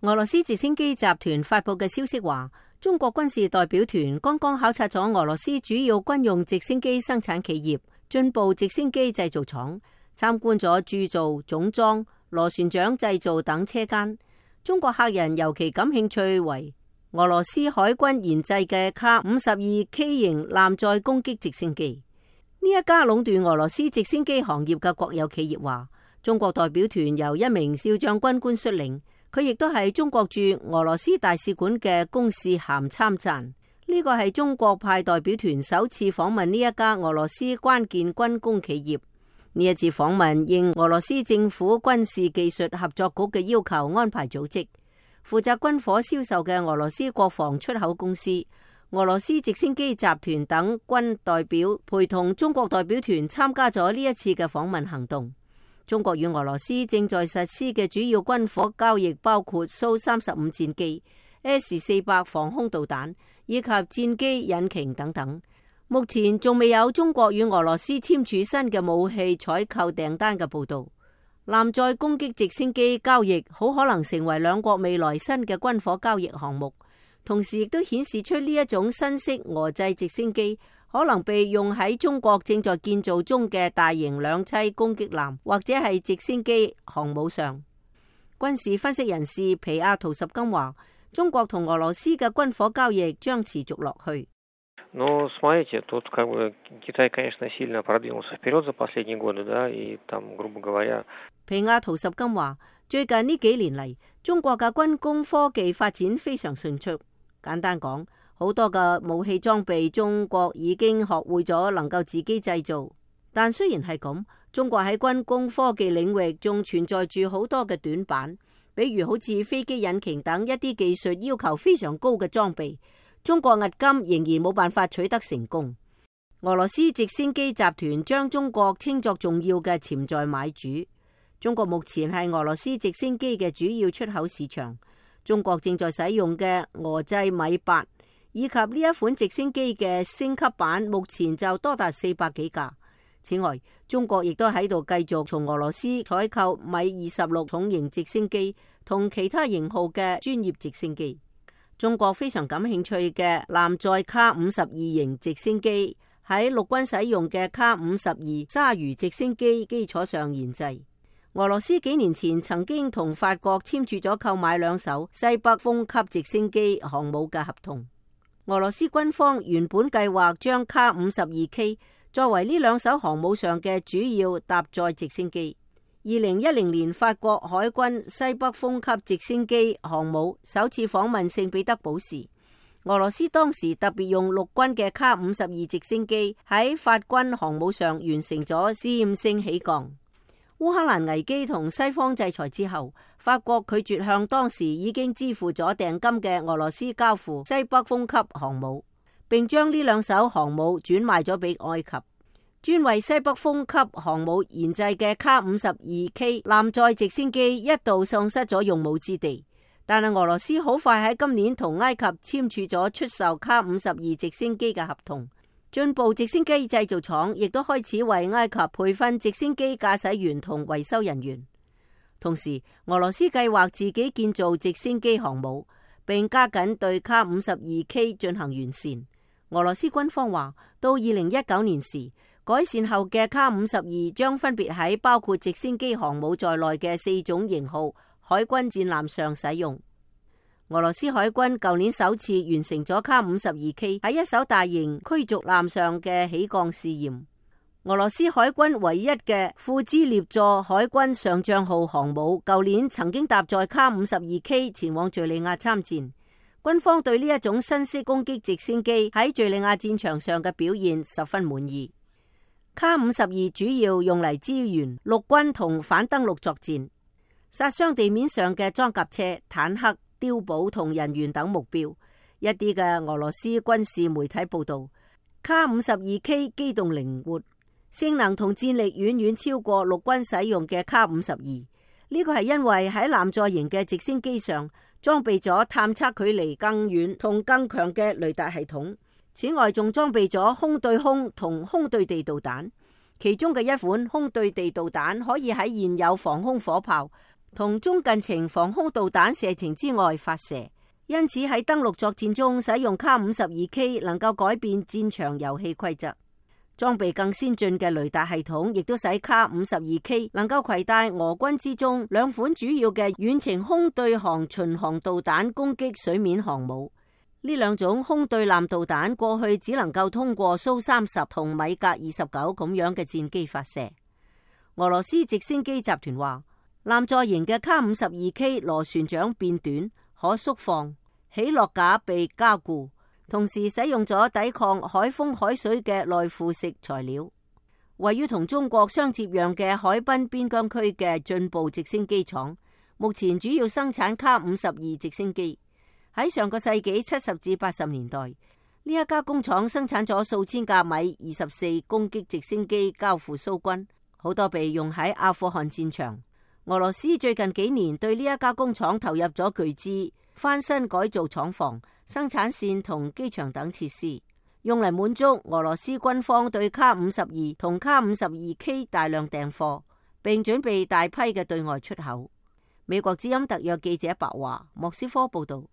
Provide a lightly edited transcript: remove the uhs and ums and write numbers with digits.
俄羅斯直升機集團發佈嘅消息話，中國軍事代表團剛剛考察咗俄羅斯主要軍用直升機生產企業進步直升機製造廠，參觀咗鑄造、總裝、螺旋槳製造等車間。中國客人尤其感興趣為俄羅斯海軍研製嘅K-52K 型艦載攻擊直升機。呢一家壟斷俄羅斯直升機行業嘅國有企業話，中國代表團由一名少將軍官率領，佢亦都係中國駐俄羅斯大使館嘅公使銜參贊。呢個係中國派代表團首次訪問呢一家俄羅斯關鍵軍工企業。呢一次訪問應俄羅斯政府軍事技術合作局嘅要求安排組織，負責軍火銷售嘅俄羅斯國防出口公司、俄羅斯直升機集團等軍代表陪同中國代表團參加咗呢一次嘅訪問行動。中國與俄羅斯正在實施嘅主要軍火交易包括蘇35戰機、S-400防空導彈以及戰機引擎等等。目前仲未有中國與俄羅斯簽署新嘅武器採購訂單嘅報道。艦載攻擊直升機交易好可能成為兩國未來新嘅軍火交易項目，同時亦都顯示出呢一種新式俄製直升機可能被用喺中國正在建造中嘅大型兩棲攻擊艦或者係直升機航母上。軍事分析人士皮亞圖什金話，中國同俄羅斯嘅軍火交易將持續落去。Но смотрите, тут Китай, конечно, сильно продвинулся вперед за последние годы, да, и там, грубо говоря。皮亞圖什金話，最近呢幾年嚟，中國嘅軍工科技發展非常迅速。簡單講，好多嘅武器裝備，中國已經學會咗能夠自己製造。但雖然係咁，中國喺軍工科技領域仲存在住好多嘅短板，比如好似飛機引擎等一啲技術要求非常高嘅裝備。中國迄今仍然冇辦法取得成功。俄羅斯直升機集團將中國稱作重要嘅潛在買主。中國目前係俄羅斯直升機嘅主要出口市場。中國正在使用嘅俄製米八以及呢一款直升機嘅升級版，目前就多達400幾架。此外，中國亦都喺度繼續從俄羅斯採購米26重型直升機同其他型號嘅專業直升機。中國非常感興趣嘅艦載K-52型直升機喺陸軍使用嘅K-52鯊魚直升機基礎上研製。俄羅斯幾年前曾經同法國簽署咗購買2艘西北風級直升機航母嘅合同。俄羅斯軍方原本計劃將K-52K作為呢2艘航母上嘅主要搭載直升機。2010年，法國海軍西北風級直升機航母首次訪問聖彼得堡時，俄羅斯當時特別用陸軍嘅K-52直升機喺法軍航母上完成咗試驗性起降。烏克蘭危機同西方制裁之後，法國拒絕向當時已經支付咗訂金嘅俄羅斯交付西北風級航母，並將呢2艘航母轉賣咗俾埃及。專為西北風級航母研製嘅K-52K 艦載直升機一度喪失咗用武之地，但係俄羅斯好快喺今年同埃及簽署咗出售K-52直升機嘅合同。進步直升機製造廠亦都開始為埃及培訓直升機駕駛員同維修人員。同時，俄羅斯計劃自己建造直升機航母，並加緊對K-52K 進行完善。俄羅斯軍方話，到2019年時，改善後嘅K-52將分別喺包括直升機航母在內嘅4種型號海軍戰艦上使用。俄羅斯海軍舊年首次完成咗K-52K喺一艘大型驅逐艦上嘅起降試驗。俄羅斯海軍唯一嘅庫茲列座海軍上將號航母舊年曾經搭載K-52K前往敘利亞參戰。軍方對呢一種新式攻擊直升機喺敘利亞戰場上嘅表現十分滿意。K-52主要用嚟支援陸軍同反登陸作戰，殺傷地面上嘅裝甲車、坦克、碉堡同人員等目標。一啲嘅俄羅斯軍事媒體報道，K-52K 機動靈活，性能同戰力遠遠超過陸軍使用嘅K-52。呢個係因為喺艦載型嘅直升機上裝備咗探測距離更遠同更強嘅雷達系統。此外，仲裝備咗空對空同空對地導彈，其中嘅一款空對地導彈可以喺現有防空火炮同中近程防空導彈射程之外發射，因此喺登陸作戰中使用卡 52K 能夠改變戰場遊戲規則。裝備更先進嘅雷達系統，亦都使卡 52K 能夠攜帶俄軍之中兩款主要嘅遠程空對航巡航導彈攻擊水面航母。呢兩種空對艦導彈過去只能夠通過蘇30同米格29咁樣嘅戰機發射。俄羅斯直升機集團話，艦載型嘅卡 52K 螺旋槳變短，可縮放，起落架被加固。同時使用咗抵抗海風海水嘅內附式材料。位於同中國相接壤嘅海濱邊疆區嘅進步直升機廠，目前主要生產卡 52直升機。喺上個世紀70至80年代，呢一家工廠生產咗數千架米24攻擊直升機交付蘇軍，好多被用喺阿富汗戰場。俄羅斯最近幾年對呢一家工廠投入咗巨資，翻新改造廠房、生產線同機場等設施，用嚟滿足俄羅斯軍方對卡 52同卡 52K 大量訂貨，並準備大批嘅對外出口。美國之音特約記者白華，莫斯科報道。